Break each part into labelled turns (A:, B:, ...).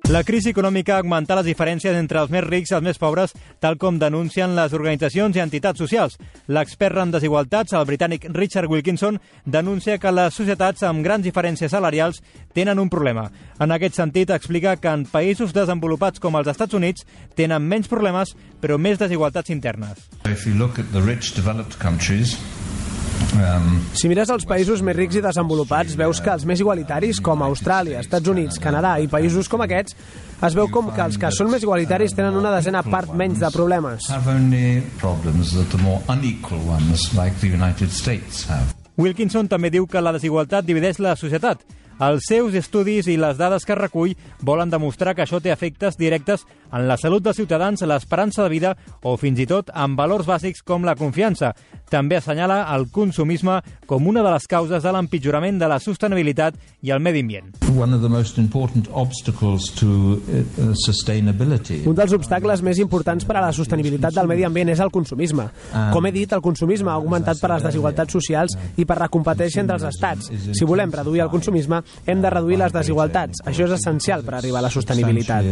A: La crisi econòmica ha augmentat les diferències entre els més rics i els més pobres, tal com denuncien les organitzacions i entitats socials. L'expert en desigualtats, el britànic Richard Wilkinson, denuncia que les societats amb grans diferències salarials tenen un problema. En aquest sentit, explica que en països desenvolupats com els Estats Units tenen menys problemes, però més desigualtats internes.
B: If you look at the rich developed countries,
C: si mires els països més rics i desenvolupats, veus que els més igualitaris, com Austràlia, Estats Units, Canadà i països com aquests, es veu com que els que són més igualitaris tenen una desena part menys de problemes.
A: Wilkinson també diu que la desigualtat divideix la societat. Els seus estudis i les dades que recull volen demostrar que això té efectes directes en la salut dels ciutadans, l'esperança de vida o fins i tot en valors bàsics com la confiança. També assenyala el consumisme com una de les causes de l'empitjorament de la sostenibilitat i el medi ambient.
C: Un dels obstacles més importants per a la sostenibilitat del medi ambient és el consumisme. Com he dit, el consumisme ha augmentat per les desigualtats socials i per la competència entre els estats. Si volem reduir el consumisme, hem de reduir les desigualtats. Això és essencial per arribar a la sostenibilitat.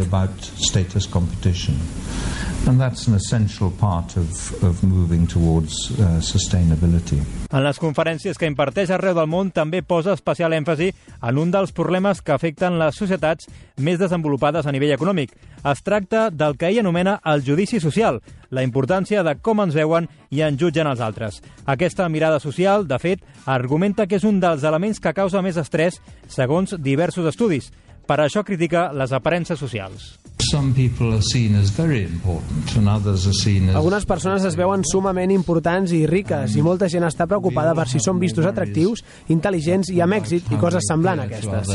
B: And that's an essential part of moving towards sustainability.
A: En les conferències que imparteix arreu del món també posa especial èmfasi en un dels problemes que afecten les societats més desenvolupades a nivell econòmic. Es tracta del que ell anomena el judici social, la importància de com ens veuen i ens jutgen els altres. Aquesta mirada social, de fet, argumenta que és un dels elements que causa més estrès, segons diversos estudis. Per això critica les aparences socials.
C: Algunes persones es veuen sumament importants i riques i molta gent està preocupada per si són vistos atractius, intel·ligents i amb èxit i coses semblants a aquestes.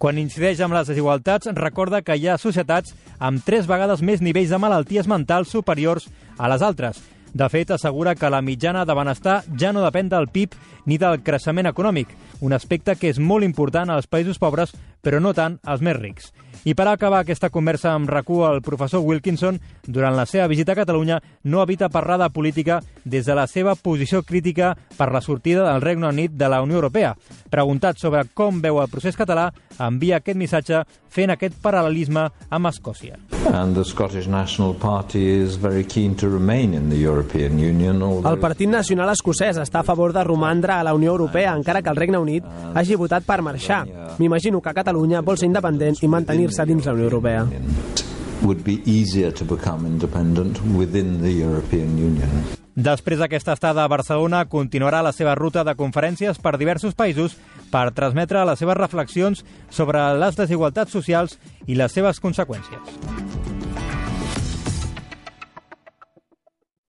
A: Quan incideix amb les desigualtats, recorda que hi ha societats amb 3 vegades més nivells de malalties mentals superiors a les altres. De fet, assegura que la mitjana de benestar ja no depèn del PIB ni del creixement econòmic, un aspecte que és molt important als països pobres, però no tant als més rics. I per acabar aquesta conversa amb RAC1, el professor Wilkinson, durant la seva visita a Catalunya, no evita parlar de política des de la seva posició crítica per la sortida del Regne Unit de la Unió Europea. Preguntat sobre com veu el procés català, envia aquest missatge fent aquest paral·lelisme amb Escòcia.
C: El Partit Nacional Escocès està a favor de romandre a la Unió Europea, encara que el Regne Unit hagi votat per marxar. M'imagino que Catalunya vol ser independent i mantenir-se dins la Unió Europea.
A: Després d'aquesta estada a Barcelona, continuarà la seva ruta de conferències per diversos països per transmetre les seves reflexions sobre les desigualtats socials i les seves conseqüències.